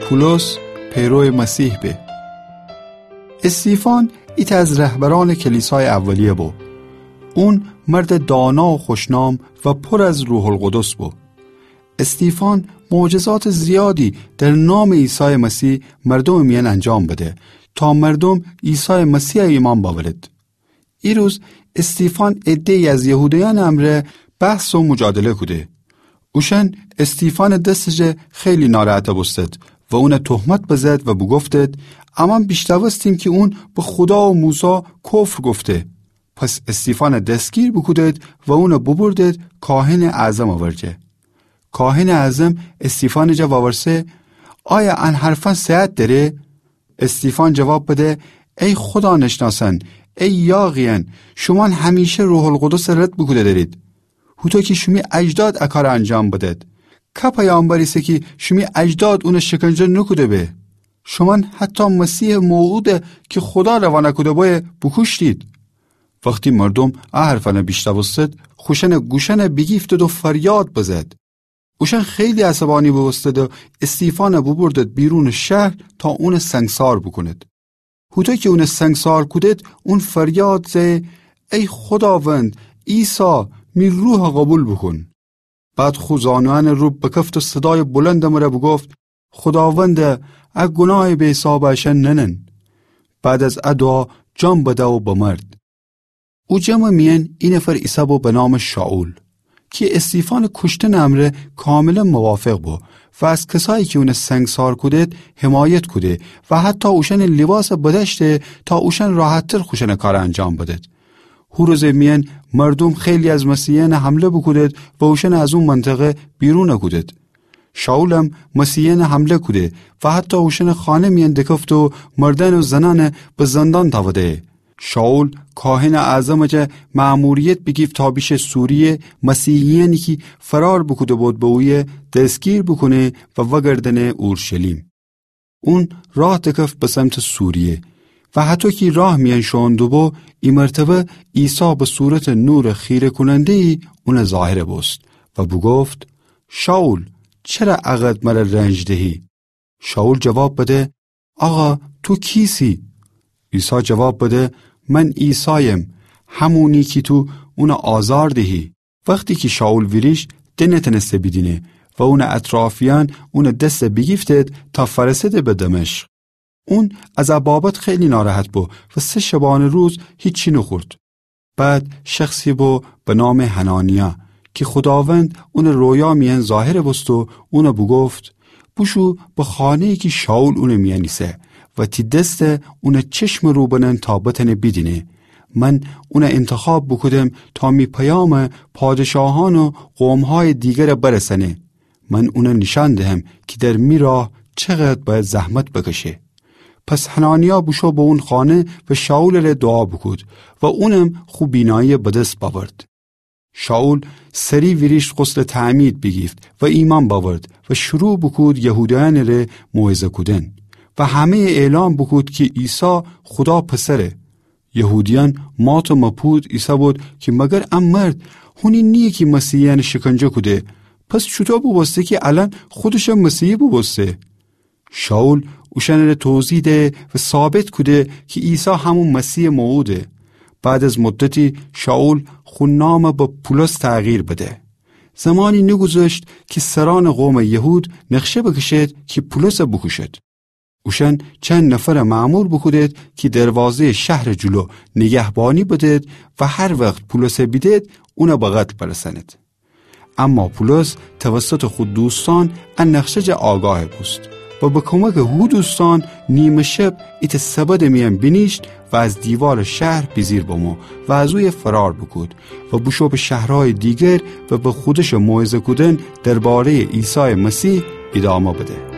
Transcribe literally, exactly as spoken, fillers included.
پولس پیرو مسیح به. استیفان ایتأ از رهبرأنٚ کلیسایٚ اولیه بو. اون مردٚ دانا و خوشنام و پر از روح‌القدس بو. استیفان معجزاتٚ زیادی در نامٚ عیسایٚ مسیح مردومٚ میأن انجام بده تا مردوم عیسایٚ مسیحَ ایمأن بأورد. ایروز استیفان عده‌یی از یهودیأنٚ امرأ بحث و مجادله کوده. اوشأن استیفانٚ دسٚ جا خیلی ناراحت بوستد و اونَ تهمت بزد و بوگفتد: امأن بیشنوستیم کی اون به خودا و موسی کفر گفته. پس استیفانَ دستگیر بوکودد و اونَ بوبردد کاهنٚ اعظمٚ ورجه. کاهنٚ اعظم استیفانٚ جا وورسه: آیا ان حرفأن صحت دأره؟ استیفان جواب بده: ای خودا نشناسأن، ای یاغیأن، شومأن همیشه روح‌القدسَ رد بوکوده دأرید. هوطو کی شیمی اجداد ا کارَ انجام بدد. که پیامبر ایسه کی شیمی اجداد اونَ شکنجه نوکوده به؟ شومأن حتی مسیحٚ موعودَ کی خودا روانَ کوده بویه بوکوشتید. وختی مردوم ا حرفأنَ بیشنوستد، خوشأنٚ گوشأنَ بیگیفتد و فریاد بزد. اوشأن خیلی عصبانی بوبوستد و استیفانَ بوبردد بیرونٚ شهر تا اونَ سنگسار بوکوند. هوطو کی اونَ سنگسار کودد، اون فریاد زه: ای خوداوند، عیسی، می روحَ قوبیل بوکون. بعد خو زانویأنٚ رو بکفت و صدایٚ بلندٚ مره بوگفت: خوداوندا، ا گوناهٚ بی‌حسابَ اشأن ننن. بعد از ا دوعا جان بده و بمرد. او جمعٚ میأن ای نفر ایسه بو به نامٚ شائول، کی استیفانٚ کوشتنٚ امرأ کاملاً موافق بو و از کسایی کی اونَ سنگسار کودد حمایت کوده و حتی اوشأنٚ لیباسَ بدأشته تا اوشأن راحت‌تر خوشأنٚ کارَ انجام بدد. هو روزٚ میأن مردوم خیلی از مسیحیأنَ حمله بوکودد و اوشأنَ از او منطقه بیرونَ کودد. شائولم مسیحیأنَ حمله کوده و حتی اوشأنٚ خانه میأن دکفته و مردأن و زنأنَ به زندان تأوده. شائول کاهنٚ اعظمٚ جا مأموریت بیگیفت تا بیشه سوریه مسیحیأنی کی فرار بوکوده بود به اویه دستگیر بوکونه و وأگردأنه اورشلیم. اون راه دکفت به سمتٚ سوریه و هطو کی راه میأن شوئون دوبو، ای مرتبه عیسی به صورتٚ نورٚ خیره‌کوننده‌یی اونَ ظاهر بوست و بوگفت: شائول، چره ا قدر مره رنج دهی؟ شائول جواب بده: آقا، تو کیسی؟ عیسی جواب بده: من عیسایم، همونی کی تو اونَ آزار دهی. وختی کی شائول ویریشت، ده نتأنسته بیدینه و اونٚ اطرافیأن اونٚ دسَ بیگیفتد تا فأرسده به دمشق. اون از ا بابت خیلی ناراحت بو و سه شبانه روز هیچی نوخورد. بعد شخصی بو به نامٚ حنانیا کی خوداوند اونٚ رویا میأن ظاهر بوست و اونَ بوگفت: بوشو به خانه‌یی کی شائول اونٚ میأن ایسه و تی دسَ اونٚ چشمٚ رو بنن تا بتأنه بیدینه. من اونَ انتخاب بوکودم تا می پیامَ پادشاهأن و قوم‌هایٚ دیگرَ برسأنه. من اونَ نیشأن دهم کی در می راه چقدر بأید زحمت بکشه. پس حنانیا بوشو به اون خانه و شائولٚ ره دوعا بوکود و اونم خو بیناییَ بدس بأورد. شائول سری ویریشت غسلٚ تعمید بیگیفت و ایمأن بأورد و شروع بوکود یهودیأنٚ ره موعظه کودن و همه‌یَ اعلام بوکود کی عیسی خودا پسره. یهودیأن مات و مبهوت ایسه‌بود کی مگر ا مرد هونی نییه کی مسیحیأنَ شکنجه کوده؟ پس چوطو بوبوسته کی الأن خودشَ مسیحی بوبوسته؟ شائول اوشأنٚ ره توضیح ده و ثابت کوده کی عیسی همون مسیحٚ موعوده. بعد از مدتی شائول خو نامَ به پولس تغییر بده. زمانی نوگوذشت کی سرأنٚ قومٚ یهود نقشه بکشد کی پولسَ بوکوشد. اوشأن چند نفرَ مأمور بوکودد کی دروازه‌یٚ شهرٚ جلو نیگهبانی بدد و هر وخت پولسَ بیدد، اونَ به قتل برسأند. اما پولس توسطٚ خو دوستأن ا نقشه جا آگاه بوست و به کمکٚ هو دوستأن نیمه شب ایتأ سبدٚ میأن بینیشت و از دیوارٚ شهر بیجیر بمو و از اویه فرار بوکود و بوشو به شهرهایٚ دیگر و به خودشٚ موعظه کودن درباره‌یٚ عیسایٚ مسیح ایدامه بده.